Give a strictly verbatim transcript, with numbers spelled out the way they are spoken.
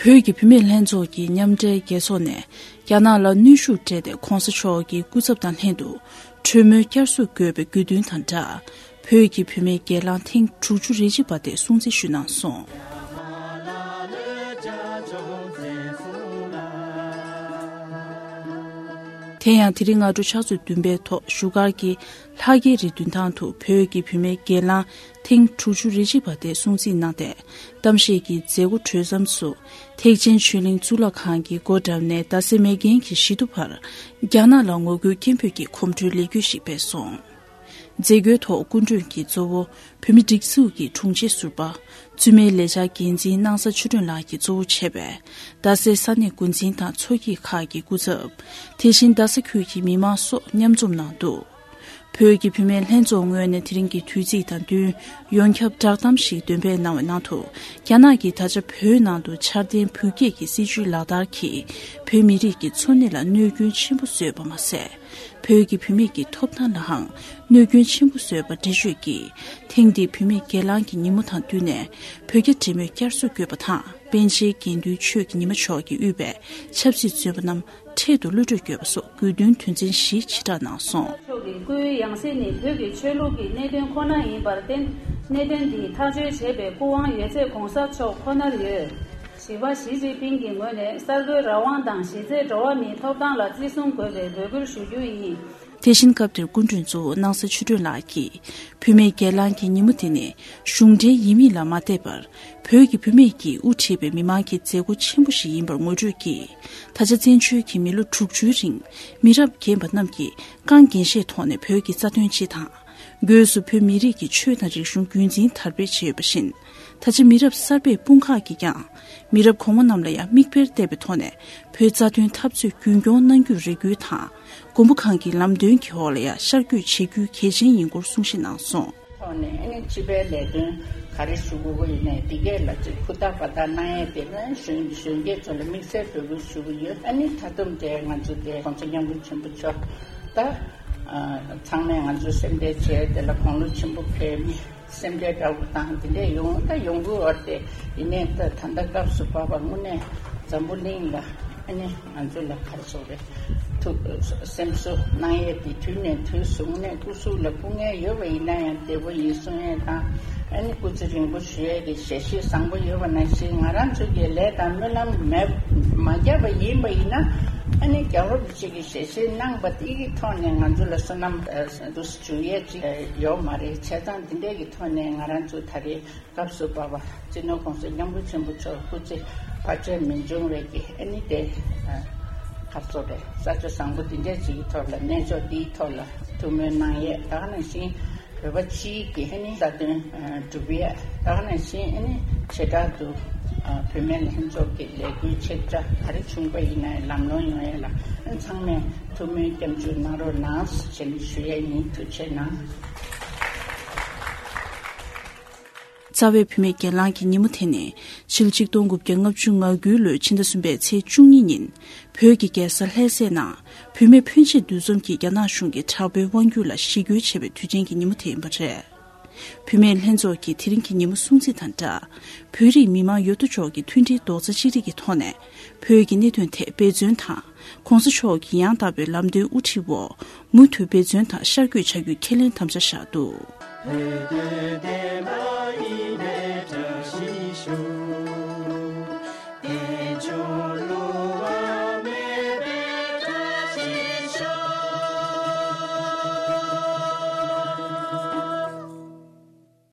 བོད་ཀྱི་བུད་མེད་ལྷན་ཚོགས་ཀྱི་མཉམ་འབྲེལ་རྒྱལ་ཚོགས་ནས་རྒྱ་ནག་ལ་གནོན་ཤུགས་སྤྲད་དེ་གོང་ས་མཆོག་གི་སྐུ་ཚབ་དང་ལྷན་དུ་གྲོས་མོལ་བསྐྱར་གསོ་དགོས་པའི་དགོས་འདུན་དང་སྦྲགས། བོད་ཀྱི་བུད་མེད་སྒེར་ལངས་ཐེངས་དྲུག་ཅུ་རེ་གཅིག་པ་དེ་སྲུང་བརྩི་ཞུས་གནང་སོང་། དེ་ཡང་དེ་རིང་སྔ་དྲོ་ཕྱག་ཚོད་བདུན་པའི་ཐོག་བཞུགས་སྒར་གྱི་ལྷ་རྒྱལ་རིའི་མདུན་ཐང་དུ་བོད་ཀྱི་བུད་མེད་སྒེར་ལངས་ཐེངས་དྲུག་ཅུ་རེ་གཅིག་པ་དེ་སྲུང་བརྩི་གནང་སྟེ། གཏམ་བཤད་ཀྱི་མཛད་སྒོ་གྲོལ་མཚམས་སུ། ཐེག་ཆེན་ཆོས་གླིང་གཙུག་ལག་ཁང་གི་སྒོ་བཀྲམ་ནས་རྡ་སའི་མེག་གྷན་གྱི་བཞི་ཐུ་བར་རྒྱ་ནག་ལ་ངོ་རྒོལ་སྐད་འབོད་ཀྱི་གོམ་བགྲོད་ལས་འགུལ་ཞིག་སྤེལ་སོང་། མཛད་སྒོའི་ཐོག་སྐུ་མགྲོན་གྱིས་གཙོ་བོ་བོད་མི་སྒྲིག་འཛུགས་ཀྱི་དྲུང་ཆེ་ཟུར་པ། བཙུན་མའི་ལས་འཆར་འགན་འཛིན་སྣང་ས་ཆོས་སྒྲོན་ལགས་ཀྱིས་གཙོ་བོ་བྱས་པའི་རྡ་སའི་ས་གནས་འགོ་འཛིན་དང་ཚོགས་སྐྱིད་ཁག་གི་སྐུ་ཚབ། དེ་བཞིན་རྡ་ས་ཁུལ་གྱི་མི་མང་སོགས་མཉམ་འཛོམས་གནང་འདུག་བོད་ཀྱི་བུད་མེད་ལྷན་ཚོགས་ངོས་ནས་དེ་རིང་གི་དུས་ཚིགས་དང་བསྟུན། ཡོངས་ཁྱབ་བསྒྲགས་གཏམ་ཞིག་འདོན་སྤེལ་གནང་བའི་ནང་དུ། རྒྱ་ནག་གིས་ད་ཆ་བོད་ནང་དུ་འཆར་ལྡན་བུ་སྐྱེས་ཀྱི་སྲིད་ཇུས་ལག་བསྟར་གྱིས། བོད་མི་རིགས་ཀྱི་འཚོ་གནས་ལ་གནོད་སྐྱོན་ཆེན་པོ་བཟོས་པ་མ་ཟད། བོད་ཀྱི་བུད་མེད་ཀྱི་ཐོབ་ཐང་ལའང་གནོད་སྐྱོན་ཆེན་པོ་བཟོས་པ་འགྲེལ་བརྗོད་ཀྱིས། ཐེངས་འདིའི་བུད་མེད་སྒེར་ལངས་ཀྱི་ཉིན་མོ་དང་བསྟུན་ནས། བོད་རྒྱ་འབྲེལ་མོལ་བསྐྱར་གསོ་དགོས་པ་དང་། པཎ་ཆེན་དགེ་འདུན་ཆོས་ཀྱི་ཉི་མ་མཆོག་གིས་དབུས་པའི་ཆབ་སྲིད་བཙོན་པ་རྣམས་འཕྲལ་དུ་གློད་གྲོལ་དགོས་པ་སོགས་དགོས་འདུན་དོན་ཚན་བཞི་ཕྱིར་བསྒྲགས་གནང་སོང་། མཆོག་གི་སྐུའི་ཡང་སྲིད་ནི་བོད་ཀྱི་ཆོས་ལུགས་ཀྱི་གནད་དོན་ཁོ་ན་ཡིན་པར་བརྟེན། གནད་དོན་འདི་ཐག་གཅོད་བྱེད་པའི་སྐུ་དབང་ཡོད་ཚད་གོང་ས་མཆོག་ཁོ་ནར་ཡོད། བཞི་པ། ཞི་ཅིན་ཕིང་གི་ངོས་ནས་གསར་འགོད་རང་དབང་དང་གཞི་རྩའི་འགྲོ་བ་མིའི་ཐོབ་ཐང་ལ་བརྩི་སྲུང་དགོས་པའི་འབོད་སྐུལ་ཞུ་རྒྱུ་ཡིན། དེ་བཞིན་སྐབས་དེར་སྐུ་མགྲོན་གཙོ་བོ་སྣང་ས་ཆོས་སྒྲོན་ལགས་ཀྱིས། བུད་མེད་སྒེར་ལངས་ཀྱི་ཉིན་མོ་དེ་ནི་གཞུང་འབྲེལ་ཡིན་མིན་ལ་མ་བལྟས་པར། བོད་ཀྱི་བུད་མེད་ཀྱིས་དབུ་ཁྲིད་པའི་མི་མང་གི་མཛད་སྒོ་ཆེན་པོ་ཞིག་ཡིན་པར་ངོ་སྤྲོད་ཀྱིས། ད་ཆ་བཙན་བྱོལ་གྱི་མི་ལོ་དྲུག་ཅུའི་རིང་མི་རབས་རྒན་པ་རྣམས་ཀྱིས་རྐང་འགན་བཞེས་ཐོག་ནས་བོད་ཀྱི་རྩ་དོན་སྤྱི་དང་། སྒོས་སུ་བོད་མི་རིགས་ཀྱི་ཆོས་དང་རིག་གཞུང་རྒྱུན་འཛིན་དར་སྤེལ་བྱས་ཡོད་པ་བཞིན། ད་ཆ་མི་རབས་གསར་པའི་དཔུང་ཁག་གིས་ཀྱང་མི་རབས་གོང་མ་རྣམས་ལ་ཡང་མིག་དཔེར་བལྟས་པའི་ཐོག་ནས་བོད་རྩ་དོན་འཐབ་རྩོད་རྒྱུན་སྐྱོང་གནང་རྒྱུར་རེ་སྐུལ་དང་། མགོན་པོ་གང་གི་ལམ་སྟོན་གྱི་འོག་ལ་ཡང་ཤར་བསྐྱོད་བྱེད་རྒྱུ་གལ་ཆེན་ཡིན་སྐོར་གསུང་བཤད་གནང་སོང་། ཐོག་ནས་ཨ་ནི་སྤྱི་པའི་ལས་དོན་ག་རེ་ཞུ་དགོས་ཀྱི་ཡིན་ནའི་འདི་གས་ལ་ཅིག་ཧུར་ཐག་པ་ཐག་གནང་ཡས་དེ་ནི་གཞོན་གཞོན་སྐྱེས་ཚོ་ལ་དམིགས་བསལ་འབོད་སྐུལ་ཞུ་གི་ཡོད། ཨ་ནི་ད་དུང་དེ་ང་ཚོ་དེ་༸གོང་ས་༸སྐྱབས་མགོན་ཆེན་པོ་མཆོག་ད་ཚང་མས་ང་ཚོ་སེམས་ཁྲལ་བྱས་དེ་ལ་དགུང་ལོ་ཆེན་པོ་ཕེབས་ནས། སེམས་ཁྲལ་འདྲ་བོ་དང་དེ་འདྲས་ཡོང་ད་ཡོང་གི་ཡོད་རེད་དེ། ཡིན་ནའི་ད་ད་ལྟ་སྐབས་སུ་བབས་པ་དངོས་གནས་འཛམ་བུ་གླིང་ལ་ཨ་ནི་ང་ཚོ་ལ་ག་རེ་ཟེར་དགོས་རེད། ཐུགས་སེམས་གསོ་གནང་ཡས་དེ་དུས་ནས་དུས་སུ་དངོས་གནས་སྐུ་གཟུགས་ལ་སྐུ་ངལ་ཡོད་པ་ཡིན་ན་ཡང་བདེ་པོ་ཡིན་གསུང་ཡས་དང་། ཨ་ནི་སྐུ་ཚེ་རིང་པོ་བཞུགས་ཡས་ཀྱི་ཞལ་བཞེས་བཟང་པོ་ཡོད་པ་ནང་བཞིན། ང་རང་ཚོ་གི་ལས་དང་སྨོན་ལམ་མེད་མ་བརྒྱབ་པ་ཡིན་པ་ཡིན་ན། ཨ་ནི་རྒྱལ་བ་རིན་པོ་ཆེ་གི་ཞལ་བཞེས་གནང་པ་དེ་གི་ཐོག་ནས་ང་ཚོ་ལ་བསོད་ནམས་འདུ་འཇུག་ཡས་ཅིག་ཡོད་མ་རེད། བྱས་ཙང་འདི་འདྲས་ཀྱི་ཐོག་ནས་ང་རང་ཚོ་ད་རེས་སྐབས་སུ་བབས་པ་སྤྱི་ནོར་༸གོང་ས་༸སྐྱབས་མགོན་ཆེན་པོ་མཆོག་སྐུ་ཚེ་བར་ཆད་མི་འབྱུང་བའི་གི་ཨ་ནི་དེ་ཁ་ཚོ་རེད། ས་ཆ་བཟང་པོ་འདི་འདྲས་ཅིག་གི་ཐོག་ལ་གནས་མཆོག་འདིའི་ཐོག་ལ་ཐུགས་སྨོན་གནང་ཡས། ད་ག་ནང་བཞིན་བོད་པ་སྤྱིའི་གི་ཨ་ནི་རྩ་དོན་སྒྲུབ་ཡས། ད་ག་ནང་བཞིན་ཨ་ནི་བྱེ་བྲག་ཏུ་བུད་མེད་ལྷན་ཚོགས་ཀྱི་ལས་འགུལ་ཆེ་ཕྲ་ག་རེ་བྱུང་པ་ཡིན་ན་ལམ་ལྷོང་ཡོང་ཡས་ལ་ཨ་ཚང་མས་ཐུགས་སྨོན་སྐྱབས་འཇུག་གནང་རོགས་གནང་ཞེས་ཞུ་ཡས་ཡིན། ཐུགས་རྗེ་གནང་། རྩ་བའི་བུད་མེད་སྒེར་ལངས་ཀྱི་ཉིན་མོ་དེ་ནི་ཕྱི་ལོ་ཆིག་སྟོང་དགུ་བརྒྱ་ལྔ་བཅུ་ང་དགུའི་ལོའི་ཕྱི་ཟླ་གསུམ་པའི་ཚེས་བཅུ་གཉིས་ཉིན་བོད་ཀྱི་རྒྱལ་ས་ལྷ་སའི་ནང་བུད་མེད་ཕོན་ཆེ་འདུ་འཛོམས་ཀྱིས་རྒྱ་ནག་གཞུང་གི་དྲག་པོའི་དབང་སྒྱུར་ལ་ཞི་རྒོལ་བྱས་པའི་དུས་ཆེན་གྱི་ཉིན་མོ་དེ་ཡིན་པ་རེད། བུད་མེད་ལྷན་ཚོགས་ཀྱིས་དེ་རིང་གི་ཉིན་མོ་སྲུང་བརྩི་དང་སྦྲགས། བོད་རིགས་མི་མང་ཡོད་དོ་ཅོག་གི་མཐུན་སྒྲིལ་རྡོག་རྩ་གཅིག་སྒྲིལ་གྱི་ཐོག་ནས་བོད་ཀྱི་གནད་དོན་ཐད་འབད་བརྩོན་དང་། ༸གོང་ས་མཆོག་གི་ཡང་དག་པའི་ལམ་སྟོན་དབུ་ཁྲིད་འོག་མུ་མཐུད་འབད་བརྩོན་དང་ཤར་བསྐྱོད་བྱ་རྒྱུའི་ཁས་ལེན་དམ་བཅའ་བཞག་འདུག